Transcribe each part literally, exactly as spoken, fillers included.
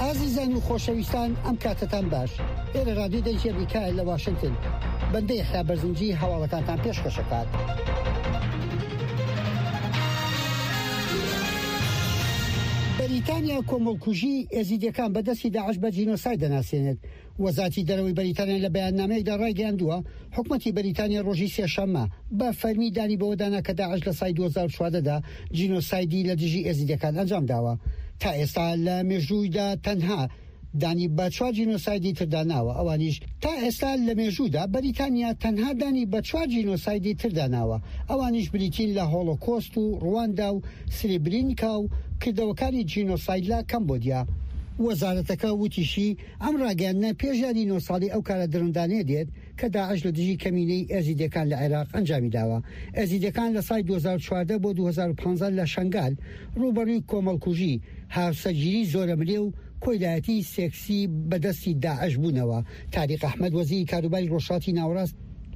ئازیزان و خۆشەویستان، ئەم کاتەتان باش. ئێرە رادیۆی دەنگی ئەمریکایە لە واشنگتن. بەندە یەحیا بەرزنجی هەواڵەکانتان پێشکەشەکات. بەریتانیا کۆمەڵکوژی ئێزیدیەکان بە دەستی داعش بە جینۆساید دەناسێنێت. وەزارەتی دەرەوەی بەریتانیا لە بەیاننامەیەکدا ڕایگەیاندووە، حکومەتی بەریتانیا ڕۆژی سێشەممە بە فەرمی دانی بەوەدانا کە داعش لە ساڵی دوو هەزار و چواردە دا جینۆسایدی لە دژی ئێزیدیەکان ئەنجام داوە. تا ئێستا لە مێژوویدا تەنها دانی بە چوار جینۆسایدی تردا ناوە، ئەوانیش تا ئێستا لە مێژوودا بەریتانیا تەنها دانی بە چوار جینۆسایدی تردا ناوە، ئەوانیش بریتین لە هۆڵۆکۆست و ڕواندا و سریبرینکا و کردەوەکانی جینۆساید لە کەمبۆدیا. وەزارەتەکە وتیشی، ئەم ڕاگەیاندنە پێش یادی نۆ ساڵی ئەو کارە دڕندانەیە دێت کە داعش لە دژی کەمینەی ئێزیدیەکان لە عێراق ئەنجامی داوە. ئێزیدیەکان لە ساڵی دوو هەزار و چواردە بۆ دوو هەزار و پازدە لە شەنگال ڕووبەڕووی کۆمەڵکوژی، هاوسەرگیری زۆرەملێ و کۆیلایەتی سێکسی بەدەستی داعش بوونەوە. تاریق ئەحمەد وەزیری کاروباری ڕۆژهەڵاتی ناوەڕاست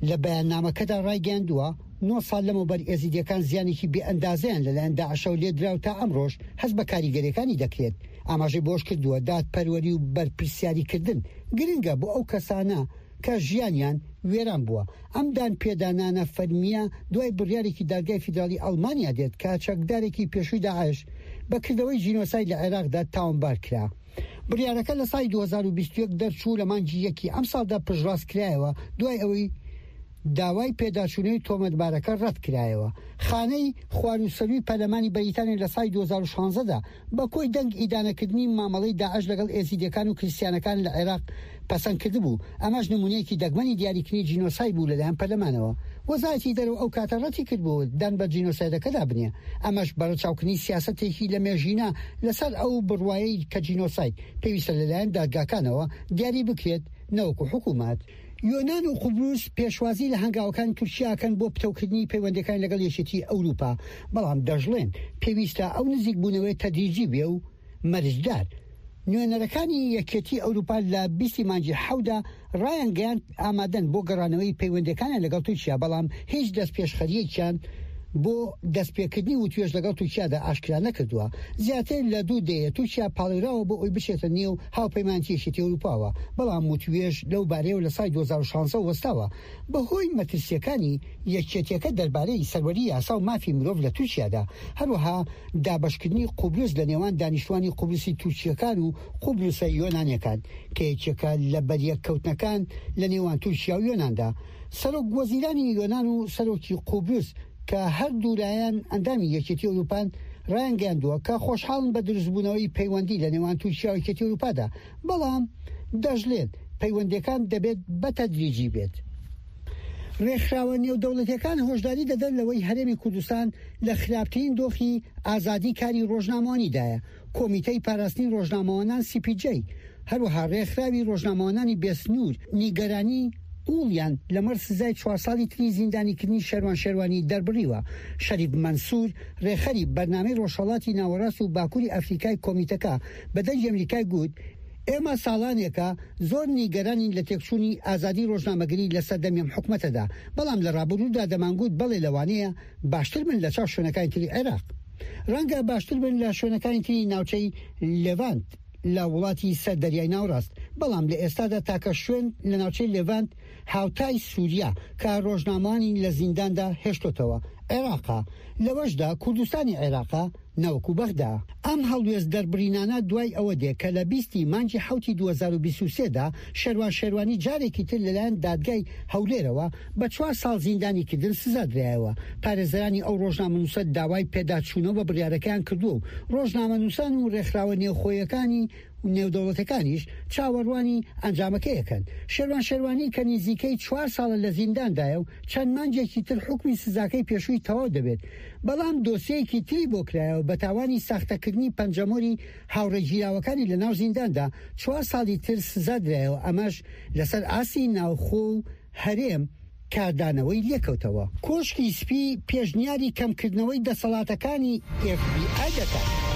لە بەیاننامەکەدا ڕایگەیاندووە، نۆ ساڵ لەمەوبەر ئێزیدیەکان زیانێکی بێئەندازەیان لەلایەن داعشەوە لێدرا و تا ئەمڕۆش هەست بە کاریگەریەکانی دەکرێت. ئاماژەی بۆش کردووە، دادپەروەری و بەرپرسیاریکردن گرنگە بۆ ئەو کەسانە کە ژیانیان وێران بووە. ئەم دان پێدانانە فەرمیە دوای بڕیارێکی دادگای فیدراڵی ئەڵمانیا دێت کە چەکدارێکی پێشووی داعش بە کردەوەی جینۆساید لە عێراقدا تاوانبار کرا. بڕیارەکە لە ساڵی دوو هەزار و بیست و یەک دەرچوو، لە مانگی یەکی ئەمساڵدا پشتڕاست کرایەوە دوای ئەوەی داوای پێداچوونەوەی تۆمەتبارەکە ڕەت کرایەوە. خانەی خواروسەروی پەرلەمانی بەریتانیا لە ساڵی دوو هەزار و شانزە دا بە کۆی دەنگ ئیدانەکردنی مامەڵەی داعش لەگەڵ ئێزیدیەکان و کریسیانەکان لە عێراق پەسەند کردبوو. ئەمەش نمونەیەکی دەگمەنی دیاریکردنی جینۆساید بوو لەلایەن پەرلەمانەوە. وەزارەتی دەرەوە ئەو کاتە ڕەتی کردبوو دان بە جینۆسایدەکەدا بنێ، ئەمەش بەڕەچاوکردنی سیاسەتێکی لە مێژینە لەسەر ئەو بڕوایەی کە جینۆساید پێویستە لەلایەن دادگاکانەوە دیاری بکرێت نەوەکو حکوومەت. یۆنان و قوبرس پێشوازی لە هەنگاوەکانی تورکیاکەن بۆ پتەوکردنی پەیوەندەکان لەگەڵ یەکێتی ئەوروپا، بەڵام دەشڵێن پێویستە ئەو نزیکبوونەوەی تەدریجی بێ و مەرجدار. نوێنەرەکانی یەکێتی ئەوروپا لە بیستی مانگی حەودا ڕایانگەیاند ئامادەن بۆ گەڕانەوەی پەیوەندەکانیان لەگەڵ تورکیا، بەڵام هیچ دەستپێشخەریەکیان بۆ دەستپێکردنی وتوێژ لەگەڵ تورکیادا ئاشکرا نەکردووە. زیاتر لە دوو دەیە تورکیا پاڵێوراوە بۆ ئەوەی بچێتە نێو هاوپەیمانێتی یەکێتی ئەوروپاوە، بەڵام وتوێژ لەو بارەیەوە لە ساڵی دوو هەزار و شانزە وەستاوە بەهۆی مەترسیەکانی یەکێتیەکە دەربارەی سەروەری یاسا و مافی مرۆڤ لە تورکیادا، هەروەها دابەشکردنی قوبرس لە نێوان دانیشتوانی قوبرسی تورکیەکان و قوبرسە یۆنانیەکان کە یەکێکە لە بەریەککەوتنەکان لە نێوان تورکیا و یۆناندا. سەرۆک وەزیرانی یۆنان و سەرۆکی قوبرس کە هەردوو لایەن ئەندامی یەکێتی ئەوروپان ڕایانگەیاندووە کە خۆشحاڵن بە دروستبوونەوەی پەیوەندی لە نێوان تورکیا و یەکێتی ئەوروپادا، بەڵام دەشڵێت پەیوەندیەکان دەبێت بە تەدریجی بێت. ڕێکخراوە نێودەوڵەتیەکان هۆشداری دەدەن لەوەی هەرێمی کوردستان لە خراپترین دۆخی ئازادی کاری ڕۆژنامەوانیدایە. کۆمیتەی پاراستنی ڕۆژنامەوانان سی پی جەی، هەروەها ڕێکخراوی ڕۆژنامەوانانی بێسنوور نیگەرانی قوڵیان لەمەڕ سزای چوار ساڵی تری زیندانیکردنی شێروان شێروانی دەربڕیوە. شەریف مەنسوور ڕێکخەری بەرنامەی ڕۆژهەڵاتی ناوەڕاست و باکووری ئەفریکای کۆمیتەکە بە دەنگی ئەمریکای گوت، ئێمە ساڵانێکە زۆر نیگەرانین لە تێکچوونی ئازادی ڕۆژنامەگەری لە سەردەمی ئەم حکومەتەدا، بەڵام لە ڕابردوودا دەمانگوت بەڵێ لەوانەیە باشتر بن لە چاو شوێنەکانی تری عێراق، ڕەنگە باشتر بن لە شوێنەکانی تری ناوچەی لێڤانت لە وڵاتی سەر دەریای ناوەڕاست، بەڵام لە ئێستادا تاکە شوێن لە ناوچەی لێڤانت هاوتای سووریا کە ڕۆژنامەوانی لە زینداندا هێشتۆتەوە عێراقا، لەوەشدا کوردستانی عێراقا نەوەکو بەغدا. ئەم هەڵوێست دەربڕینانە دوای ئەوە دێ کە لە بیستی مانگی حەوتی دوو هەزار و بیست و سێ دا شێروان شێروانی جارێکی تر لەلایەن دادگای هەولێرەوە بە چوار ساڵ زیندانیکردن سزا درایەوە. پارێزەرانی ئەو ڕۆژنامەنووسە داوای پێداچوونەوە بە بڕیارەکەیان کردووە و ڕۆژنامەنووسان و ڕێکخراوە نێوخۆیەکانی و نێودەوڵەتەکانیش چاوەڕوانی ئەنجامەکەیەکەن. شێروان شێروانی کە نزیکەی چوار ساڵە لە زینداندایە و چەند مانگێکی تر حوکمی سزاکەی پێشووی تەواو دەبێت، بەڵام دۆسیەیەکی تری بۆ کرایەوە بە تاوانی ساختەکردنی پەنجەمۆری هاوڕێگیراوەکانی لە ناو زینداندا چوار ساڵی تر سزا درایەوە، ئەمەش لەسەر ئاستی ناوخۆ و هەرێم کاردانەوەی لێکەوتەوە. کۆشکی سپی پێشنیاری کەمکردنەوەی دەسەڵاتەکانی ئێف بی ئای دەکات.